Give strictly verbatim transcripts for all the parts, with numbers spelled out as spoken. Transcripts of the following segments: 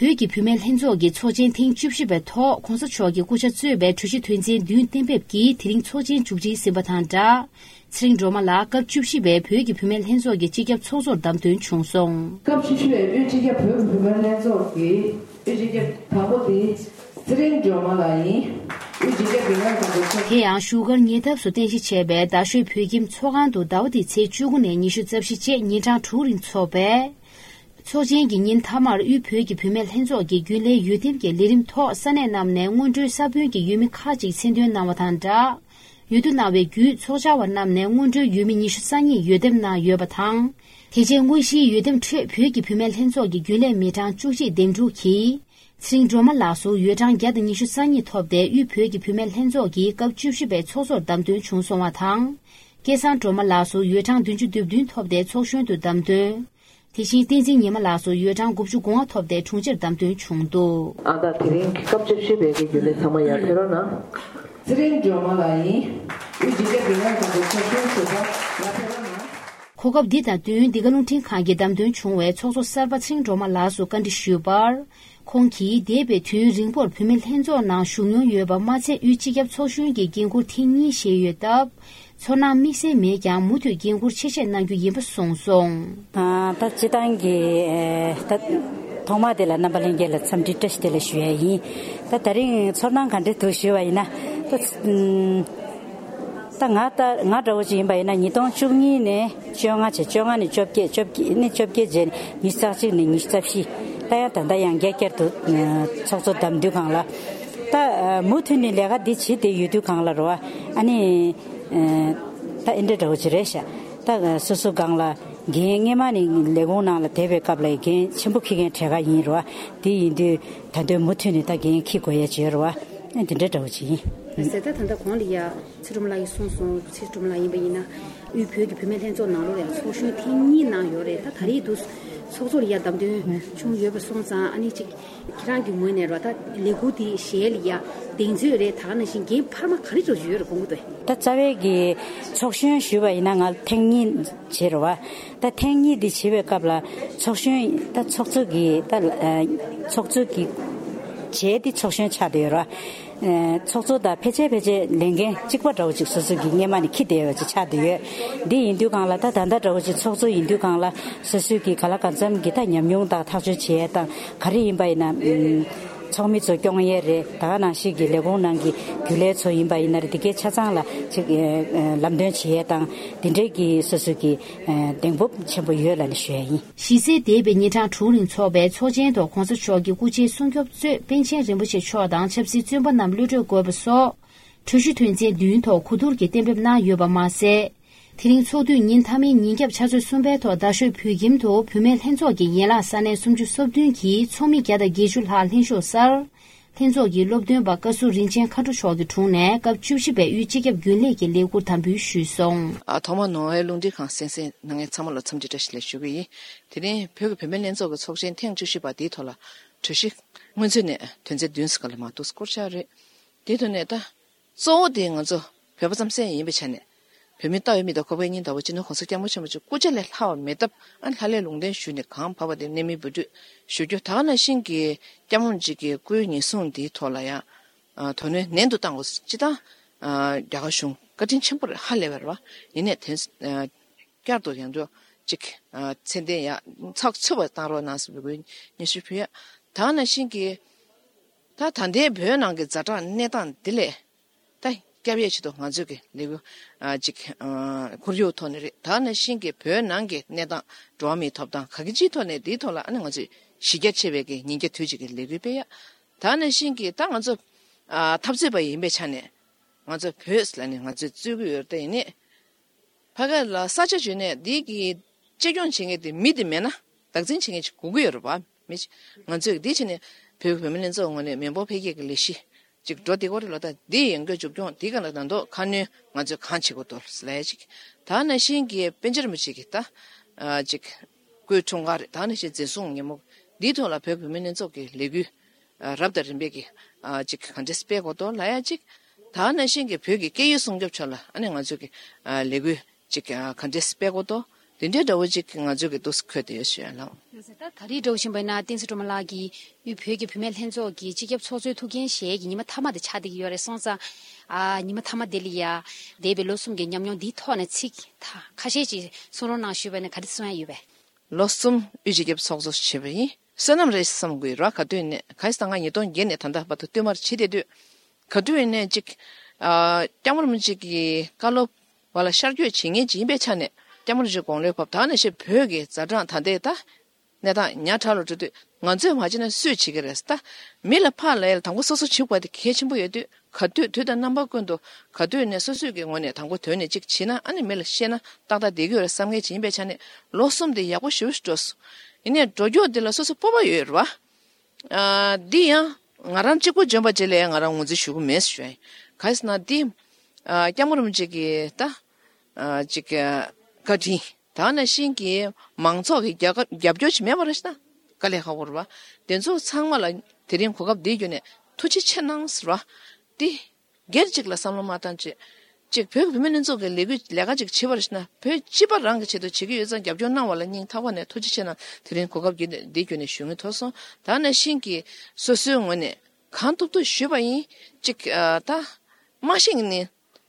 བོད་ཀྱི་བུད་མེད་ལྷན་ཚོགས་ཀྱི་ཚོགས་ཆེན་ཐེངས་བཅུ་བཞི་པའི་ཐོག་གོང་ས་མཆོག་གི་སྐུ་ཕྱྭ་གཙོས་པའི་གྲོས་གཞི་དོན་ཚན་བདུན་གཏན་འབེབས་ཀྱིས་དེ་རིང་ཚོགས་ཆེན་མཇུག་སྒྲིལ་ཟིན་པ་དང་སྦྲགས། ཚེ་རིང་སྒྲོལ་མ་ལགས་སྐབས་བཅུ་བཞི་པའི་བོད་ཀྱི་བུད་མེད་ལྷན་ཚོགས་ཀྱི་སྤྱི་ཁྱབ་ཚོགས་གཙོར་བདམས་ཐོན་བྱུང་སོང་། སྐབས་བཅུ་བཞི་པའི་དབུས་སྤྱི་ཁྱབ་བོད་ཀྱི་བུད་མེད་ལྷན་ཚོགས་ཀྱི་དབུས་སྤྱི་ཁྱབ་དང་པོ་དེ་ཚེ་རིང་སྒྲོལ་མ་ལགས་ཡིན། དབུས་སྤྱི་ཁྱབ་ཀྱི་ལན་དང་པོ་ཚོགས། དེ་ཡང་བཞུགས་སྒར་ཉེ་འདབས་སུ་རྟེན་གཞི་བྱས་པའི་རྡ་ཤོད་བོད་ཁྱིམ་ཚོགས་ཁང་དུ་ཟླ་བ་འདིའི་ཚེས་བཅུ་དགུ་ནས་ཉི་ཤུ་རྩ་བཞི་བཅས་ཉིན་གྲངས་དྲུག་རིང་འཚོགས་པའི། ཚོགས་ཆེན་གྱི་ཉིན་མཐའ་མར་དབུས་བོད་ཀྱི་བུད་མེད་ལྷན་ཚོགས་ཀྱི་རྒྱུན་ལས་འོས་འདེམས་ཀྱི་ལས་རིམ་ཐོག་ས་གནས་རྣམས་ནས་སྔོན་འགྲོའི་ས་བོན་གྱི་འོས་མི་ཁག་ཅིག་མཚན་འདོན་གནང་བ་དང་སྦྲགས། འོས་བསྡུ་གནང་བའི་བརྒྱུད་ཚོགས་བཅར་བ་རྣམས་ནས་སྔོན་འགྲོའི་འོས་མི་ཉི་ཤུ་རྩ་གཉིས་འོས་འདེམས་གནང་ཡོད་པ་དང་། དེ་རྗེས་དངོས་གཞིའི་འོས་འདེམས་ཁྲོད་བོད་ཀྱི་བུད་མེད་ལྷན་ཚོགས་ཀྱི་རྒྱུན་ལས་མི་གྲངས་བཅུ་གཅིག་འདེམས་སྒྲུག་གིས། ཚེ་རིང་སྒྲོལ་མ་ལགས་སུ་འོས་གྲངས་བརྒྱ་དང་ཉི་ཤུ་རྩ་གཉིས་ཐོབ་སྟེ་དབུས་བོད་ཀྱི་བུད་མེད་ལྷན་ཚོགས་ཀྱི་སྐབས་བཅུ་བཞི་པའི་ཚོགས་གཙོར་བདམས་ཐོན་བྱུང་སོང་བ་དང་། སྐལ་བཟང་སྒྲོལ་མ་ལགས་སུ་འོས་གྲངས་བདུན་ཅུ་དོན་བདུན་ཐོབ་སྟེ་ཚོགས་གཞོན་དུ་བདམས་ཐོན། དེ་བཞིན་བསྟན་འཛིན་ཉི་མ་ལགས་སུ་འོས་གྲངས་དགུ་བཅུ་གོ་ལྔ་ཐོབ་སྟེ་དྲུང་ཆེར་བདམས་ཐོན་བྱུང་འདུག། ཨ་ད་དེ་རིང་སྐབས་བཅུ་བཞི་པའི་གི་རྒྱུན་ལས་ཚང་མ་ཡར་ཕེབས་རོགས་གནང་། ཚེ་རིང་སྒྲོལ་མ་ལགས་ཡིན། དབུས་སྤྱི་ཁྱབ་ཀྱི་ལན་དང་པོ་ཚོགས་གཞོན་ཞུ་བ་ཡར་ཕེབས་རོགས་གནང་། གོ་སྐབས་འདི་དང་བསྟུན་འདི་ག་རླུང་འཕྲིན་ཁང་གིས་བདམས་ཐོན་བྱུང་བའི་ཚོགས་གཙོ་གསར་པ་ཚེ་རིང་སྒྲོལ་མ་ལགས་སུ་བཀའ་འདྲི་ཞུས་པར། ཁོང་གིས་འདས་པའི་དུས་རིང་པོར་བུད་མེད་ལྷན་ཚོགས་ནང་ཞུགས་མྱོང་ཡོད་པ་མ་ཚད་དབུས་སྤྱི་ཁྱབ་ཚོགས་གཞོན་གྱི་འགན་འཁུར་ཐེངས་གཉིས་བཞེས་ཡོད་སྟབས། ཚོར་སྣང་དམིགས་བསལ་མེད་ཀྱང་མུ་མཐུད་འགན་འཁུར་ཆེ་བཞེས་གནང་རྒྱུ་ཡིན་པ་གསུངས་སོང་། ཨ་ད་སྤྱི་བཏང་གི་ཨེ་ད་ཐོག་མ་དེ་ལ་རྣམ་པ་ལྷན་རྒྱས་ལ་འཚམས་འདྲི་བཀྲ་ཤིས་བདེ་ལེགས་ཞུ་ཡ་ཡིན། ད་ད་རིང་ཚོར་སྣང་ག་འདྲ་འདུག་ཞུས་པ་ཡིན་ན། ད་ཨུམ། ད་ང་ད་ང་འདྲ་བོ་ཅིག་ཡིན་པ་ཡིན་ན་ཉིས་སྟོང་བཅུ་གཉིས་ནས་བཅོ་ལྔ་བྱས། བཅོ་ལྔ་ནས་བཅོ་བརྒྱད། བཅོ་བརྒྱད་ནས་བཅོ་བརྒྱད་བྱས་ནས་ཉི་ཤུ་རྩ་གཅིག་ནས་ཉི་ཤུ་རྩ་བཞི། ད་ཡང་ད་ལྟ་ཡང་བསྐྱར་བསྐྱར་དུ་ཚོགས་གཙོ་བདམས་དུས་སྒང་ལ། ད་མུ་མཐུད་ནས་ལས་ཀ་འདི་བྱེད་བསྡད་ཡོད་དུས་སྒང་ལ་རོ། ཨ་ནི་ད་ཨེ་འདྲ་འདྲ་བོ་ཅིག་རེད་ཤག། ད་སོ་སོ་སྒང་ལ་འགན་སྔས་མ་ནས་ལས་ཁུངས་ནང་ལ་བསྡད་པའི་སྐབས་ལ་འགན་ཆེན་པོ་འཁྱེར་མཁན་གྲས་ཀ་ཡིན་རོ། དེ་ཡིན་དུས་ད་དུང་མུ་མཐུད་ནས་ད་འགན་འཁྱེར་དགོས་ཡ་ཅིག་ཡོད་རོ། ཨ་འདི་འདྲ་འདྲ་བོ་ཅིག་ཡིན། ཟེར་ད་ད་ལྟ་གོང་ལ་ཡ། ཚེ་སྒྲོལ་མ་ལགས་ཀྱིས་གསུངས་སོང་། ཚེ་སྒྲོལ་མ་ལགས་ཡིན་པ་ཡིན་ན། དབུས་བོད་ཀྱི་བུད་མེད་ལྷན་ཚོགས་ནང་ལོགས་ལ་ཡང་ཚོགས་གཞོན་ཐེངས་གཉིས་གནང་ཡོད་རེད། ད་ད་རེས་འདུག་ཚོགས་གཙོ་ལ་ཡ་བདམས་ཐོན་བྱུང་ཡོད་པ་སོང་ཙང་། ཨ་ནི་ཅིག་ཁྱེད་རང་གི་ངོས་ནས་རོ། ད་ལས་འགུལ་འདི་གཞན་ལ་ཡ་གདེང་ཚོད་རེད། ད་ག་ནང་བཞིན་འགན་འཕར་མ་ག་རེ་ཚོ་ཡོད་རེད་དགོངས་ཀྱི་འདུག། ད་རྩ་བའི་གི་ཚོགས་གཞོན་ཞུས་པ་ཡིན་ན་ང་ཐེངས་གཉིས་བྱས་རེད་བ། ད་ཐེངས་གཉིས་འདི་བྱེད་པའི་སྐབས་ལ་ཚོགས་གཞོན་ད་ཚོགས་གཙོ་གི་ད་ཨ་ཚོགས་གཙོ་གི་བྱས་ཏེ་ཚོགས་གཞོན་ཆགས་བསྡད་ཡོད་རེད་བ། ཨ་ཚོགས་གཙོ་དང་ཕལ་ཆེར་ཕལ་ཆེར་ལས་འགན་གཅིག་པ་འདྲ་བོ་ཅིག་སོ་སོ་གི་སྔས་མ་ནས་འཁྱེར་བསྡད་ཡོད་པ་ཅིག་ཆགས་བསྡད་ཡོད། འདི་ཡིན་དུས་སྒང་ལ་ད་ད་ལྟ་འདྲ་བོ་ཅིག་ཚོགས་གཙོ་ཡིན་དུས་སྒང་ལ་སོ་སོའི་གི་ག་ལ་གང་འཚམ་གི་ད་ཉམས་མྱོང་དང་ཐག་གཅོད་བྱེད་ཡས་དང་ག་རེ་ཡིན་པ་ཡིན་ན། ཨུམ། ཚོགས་མི་ཚོ་སྐྱོང་ཡས་རེད། ད་ག་ནང་བཞིན་གི་ལས་ཁུངས་ནང་གི་རྒྱུན་ལས་ཚོ་ཡིན་པ་ཡིན་ན་རེད། དེ་གའི་ཆ་ཚང་ལ་ཅིག་ཨ་ཨ་ལམ་སྟོན་བྱེད་ཡས་དང་དེ་འདྲའི་གི་སོ་སོ་གི་ཨ་གདེང་སྤོབས་ཆེན་པོ་ཡོད་ལབ་ནས་ཞུ་ཡ་ཡིན། གཞི་རྩའི་འདས་པའི་ཉིན་གྲངས་དྲུག་རིང་འཚོགས་པའི་ཚོགས་ཆེན་ཐོག་གོང་ས་མཆོག་གི་སྐུ་ཕྱྭའི་སྲུང་སྐྱོབ་གཙོས་པཎ་ཆེན་རིན་པོ་ཆེ་མཆོག་དང་ཆབ་སྲིད་བཙོན་པ་རྣམས་གློད་གྲོལ་དགོས་པ་སོགས། གྲོས་གཞི་དོན་ཚན་བདུན་ཐོག་གོ་བསྡུར་གྱིས་གཏན་འབེབས་གནང་ཡོད་པ་མ་ཟད། དེ་རིང་ཚོགས་དུས་ཉིན་མཐའ་མའི་ཉིན་རྒྱབ་ཕྱག་ཚོད་གསུམ་པའི་ཐོག་རྡ་ཤོད་བོད་ཁྱིམ་དུ་བུད་མེད་ལྷན་ཚོགས་ཀྱི་ཡན་ལག་ས་གནས་སུམ་ཅུ་སོ་བདུན་གྱི་ཚོགས་མི་བརྒྱ་དང་བརྒྱད་ཅུ་ལྷག་ལྷན་ཞུགས་སར། ལྷན་ཚོགས་ཀྱི་སློབ་སྟོན་པ་བཀའ་ཟུར་རིན་ཆེན་མཁའ་འགྲོ་མཆོག་གི་དྲུང་ནས་སྐབས་བཅུ་བཞི་པའི་དབུས་སྤྱི་ཁྱབ་རྒྱུན་ལས་ཀྱི་ལས་འཁུར་དམ་འབུལ་ཞུས་སོང་། ཨ་ཐོག་མར་ནོར་ཝེ་རླུང་འཕྲིན་ཁང་གསན་གཟིགས་གནང་མཁན་ཚང་མ་ལ་འཚམས་འདྲི་བཀྲ་ཤིས་བདེ་ལེགས་ཞུ་གི་ཡིན། དེ་རིང་བོད་ཀྱི་བུད་མེད་ལྷན་ཚོགས་ཀྱི་ཚོགས་ཆེན་ཐེངས་བཅུ་བཞི་པ་འདིའི་ཐོག་ལ་གྲོས་གཞི་སྔོན་ཚུད་ནས་དོན་ཚན་བདུན་ཙམ་ལས་མ་འདུག་བསྐུར་བཞག་རེད། དེའི་ཐོག་ནས་ད། གཙོ་བོ་དེ་ང་ཚོ་བོད་པ་རྩམ་ཟན་ཡིན་པའི་ཆ་ནས། བོད་མི་ལྟ་བའི་མིག་དང་ཁོག་པའི་སྙིང་ལྟ་བུ་སྤྱི་ནོར་གོང་ས་སྐྱབས་མགོན་ཆེན་པོ་མཆོག་སྐུ་ཕྱྭ་ལས་ལྷག་པ་མེད་སྟབས། ཨ་ལྷ་ལས་ལུང་བསྟན་ཞུས་ནས་གང་བབས་པ་དེ་གནད་སྨིན་འབུལ་སྤྲོད་ཞུ་རྒྱུ། ད་ག་ནང་བཞིན་གྱི་སྐྱབས་མགོན་གཅིག་གི་སྐུའི་ཉེན་སྲུང་འདིའི་ཐོག་ལ་ཡང་། ཨ་དོ་སྣང་ནན་དུ་བཏང་དགོས། སྤྱི་བཏང་། ཨ་རྒྱ་གར་གཞུང་བཀའ་དྲིན་ཆེན་པོ་རེད། ཧ་ལས་པ་རེད་བ། ཡིན་ནའི་དེ། ཨ་བསྐྱར་དུ་ཡང་འདྲ་ཅིག་ཨ་ཚད་ལྡན་ཡ་ཚགས་ཚུད་པ་བཏང་རོགས་གནང་ཟེར་བའི་སྙན་ཞུ་ཕུལ་ཡ། ད་ག་ནང་བཞིན་གྱི། ད་ད་ལྟའི་བོད་ནང་གི་ཛ་དྲག་གནས་སྟངས་འདི་ལས། ད་སྐྱབས་ཡས་ཆེད་དུ་ང་ཚོས་ཀྱི་ལས་འགུལ་ཨ་ཅིག་ཨ་ཁོར་ཡུག་ཐོག་ནས་རེད། ད་ག་ནང་བཞིན་གྱི་བོད་ནང་གི་གནས་སྟངས་འགྲོ་བ་མིའི་ཐོབ་ཐང་ག་གི་ཅིའི་ཐོག་ནས་འདིའི་ཐོག་ལ་ཨ་ནི་ང་ཚོས་གཞི་རྒྱ་ཆེ་བའི་གི་ཉིན་བརྒྱ་དུས་གཅིག་གི་ལས་འགུལ་སྤེལ་ཡ། ད་ག་ནང་བཞིན་གྱི་ད་ང་ཚོ་ཨ་འཐབ་རྩོད་པ་ཡིན་པའི་ཆ་ནས་ང་ཚོ་བོད་ཟེར་ལབ་ནས་ང་ཚོས་རྩོད་ཀྱི་ཡོད་རེད། ད་ཡིན་ནའི། ཕ་གི་ལ་ས་ཆ་བརྗོད་ནས་འདི་གི་གཅེས་སྐྱོང་བྱེད་མཁན་དེ་མི་དེ་མེད་ན་བདག་འཛིན་བྱེད་མཁན་ཅིག་དགོས་ཀྱི་ཡོད་རེད་པ། མི་ཅིག་ང་ཚོས་འདི་བྱས་ནས་བོད་ཀྱི་བུད་མེད་ལྷན་ཚོགས་ངོས་ནས་མི་འབོར་འཕེལ་རྒྱས་ཀྱི་ལས་གཞི་ཅིག་འགྲོ་བདེ་གོ་རེད་ལོ། ད་འདི་ཡོང་སྒོ་མཇུག་སྐྱོང་འདི་ག་ལ་ད་མདོ་ཁ་སྣོན་ང་ཚོས་གང་བྱེད་དགོས་འདུག་ལས་ཅིག་ད་ནང་བཞིན་གྱི་པཎ་ཆེན་རིན་པོ་ཆེ་གི་ད་ཅིག་སྐུའི་འཁྲུངས་སྐར་རེད། ད་ནང་བཞིན་འཛིན་བཟུང་ཉིན་མོ་འདིའི་ཐོག་ལ་བོད་ཀྱི་བུད་མེད་ལྷན་ཚོགས་ཀྱི་ལས་འགུལ། རབ་དང་རིམ་པས་ཀྱི་ཅིག་ག་འདྲས་སྤེལ་དགོས་འདུག་ལ་ཡ་ཅིག་ད་ག་ནང་བཞིན་གྱི་བོད་ཀྱི་སྐད་ཡིག་སྲུང་སྐྱོབ་ཕྱོགས་ལ་ཨ་ནི་ང་ཚོས་ཀྱི་ལས་འགུལ་ཅིག་ག་འདྲས་སྤེལ་དགོས་འདུག་དེ་འདྲའི་འདྲ་བོ་ཅིག་ང་ཚོའི་གི་འདུག་སེ་འཁོད་དེ་ཡོད་ཞུ་ཡ་ལགས། ད་ད་རེས་འདྲ་བོ་བཞིན་པ་ཡིན་ན་བསྟན་འཛིན་སྒྲོལ་མ་ལགས་ཀྱིས་དབུས་བོད་ཀྱི་བུད་མེད་ལྷན་ཚོགས་ཀྱི་སྤྱི་ཁྱབ་ཚོགས་གཙོའི་ཐུགས་འགན་བཞེས་ཀྱི་ཉི་མ་མཐའ་མ་དེ་ཆགས་བསྡད་ཀྱི་ཡོད་རེད་སོང་ཙང་། ཨ་ཉི་མ་མཐའ་མ་དེ་ལ་ཡ་འདས་པའི་ལོ་གསུམ་གྱི་ཉམས་མྱོང་འདིའི་ཐོག་ནས་ཚིག་ད་ཁ་ཤས་ཅིག་གསུང་རོགས་གནང་ཞུས་པ་ཡིན་ན་ག་རེ་གསུང་ཡ་ཡོད་པས། ལོ་གསུམ་དབུས་སྤྱི་ཁྱབ་ཚོགས་གཙོ་བྱས་པ་ཡིན། བསོད་ནམས་རེད་བསམ་དགོས་ར། ག་དུས་ནས་ག་ཡི་ས་ང་ཉིས་སྟོང་བརྒྱད་ནས་ད་ལྟ་བར་དུ་བསྟུད་མར་བྱེད་བསྡད་དུས། ག་དུས་ནས་ཅིག་ཨ་སྐྱབས་མགོན་རིན་པོ་ཆེ་གི་བཀའ་སློབ་བ་ལ་ཤར་བསྐྱོད་བྱེད་མཁན་ཅིག་ཡིན་པའི་ཆ་ནས་སྐྱབས་མགོན་རིན་པོ་ཆེ་དགུང་ལོ་བབས་ད་ནས་ཤེས་བོད་ཀྱི་ཛ་དྲག་ད་ལྟའི་ད་གནས་སྟངས་ཉག་ཕྲ་ལ་འགྲོ་དུས་ང་ཚོས་མ་བྱས་ན་སུས་བྱེད་ཀྱི་རེད་ད། མི་ལ་ཕར་ལ་ཡ་ལ་དང་པོ་སོ་སོ་བྱེད་དགོས་པ་དེ་གལ་ཆེན་པོ་ཡོད་དུས། ག་དུས་དུས་དང་རྣམ་པ་ཀུན་ཏུ་ག་དུས་ནས་སོ་སོའི་གི་ངོས་ནས་དང་པོ་དོན་ནས་ཅིག་བྱེད་ན་ཨ་ནི་མི་ལ་བཤད་ན་ཏག་ཏག་བསྡད་ཀྱི་ཡོད་རེད་བསམ་མཁན་ཅིག་ཡིན་པའི་ཆ་ནས་ལོ་གསུམ་དེ་ཡག་པོ་ཞེ་པོ་ཞིག་འགྲོ་སོང་། ཡིན་ནའི་འགྲོ་རྒྱུ་དེ་ལ་སོ་སོ་སྤོབས་པ་ཡོད་རེད་བ། ཨ་འདི་ཡང་ང་རང་གཅིག་པུ་འཇོན་པ་བྱེད་ལས་ང་རང་ངོས་འཛིན་ཞུ་གི་མེད་ཞུ་ཡ་ཡིན། ག་ཡིན་ཟེར་ན་འདི་ཨ་སྐྱབས་མགོན་རིན་པོ་ཆེ་གི་ད་ཨ་ཅིག་ཨ་བཀའ་དྲིན་ད་ནང་བཞིན་གྱི་མང་ཚོགས་ཀྱི་རྒྱབ་རྒྱབ་སྐྱོར་ཅིག་མེད་པ་རེད་ཤི་ན་དཀའ་ལས་ཁག་པོ་རེད་བ། དེ་ཚོ་ཚང་མ་ལ་དེ་རིང་གོ་སྐབས་འདི་བརྒྱུད་ནས་ཐུགས་རྗེ་ཆེ་གནང་ཟེར་བ་འདི། སྒེར་གཅིག་ལ་བསམ་བློ་མ་བཏང་བྱས། གཅིག་བོད་ཀྱི་བུད་མེད་ལྷན་ཚོགས་ཀྱི་ལས་འགུལ་ལས་ཀ་ཅིག་བྱེད་པར་ཞིག་ན་བོད་སྤྱི་པ་རང་གི་ཆེད་དུ་བྱེད་ཀྱི་ཡོད་ཙང་རྒྱབ་སྐྱོར་གནང་བ་ལ་སྙིང་ཐག་པ་ནས་ཐུགས་རྗེ་ཆེ་གནང་། དེ་རིང་གོ་སྐབས་བརྒྱུད་ནས་འདི་བརྒྱུད་ནས་ཞུ་ངེས་ཐོབ་སོང་། ད་ནང་བཞིན་གྱི་སོ་སོའི་ངོས་ནས་གང་ཐུབ་ཐུབ་ཞུས་པ་ཡིན། གཅིག་ཨ་ད་མ་ཤེས་ནི་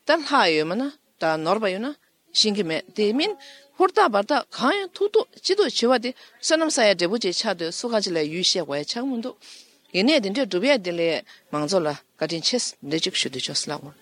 ད་ལྷག་ཡོད་མ་ན་ད་ནོར་བ་ཡོད་ན་ཤེས་ཀྱི་མེད། དེ་མིན་ཧུར་ཐག་འབར་ཐག་གང་ཡང་ཐུབ་ཐུབ་ཅི་ཐུབ་བྱེད་པ་དེ་བསོད་ནམས་བསགས་ཡ་འབྲས་བུ་ཅིག་ཆགས་འདུག་སུ་ག་ཅིག་ལ་ཡུལ་བཤད་དགོས་ཡ་ཆགས་མི་འདུག་ཡིན་ནའི་དེ་འདྲས་སྒྲུབ་ཡ་དེ་ལས་མང་ཚོགས་ལ་བཀའ་དྲིན་ཆེ་འདི་གཅིག་ཞུ་འདོད་བྱུང་ལགས།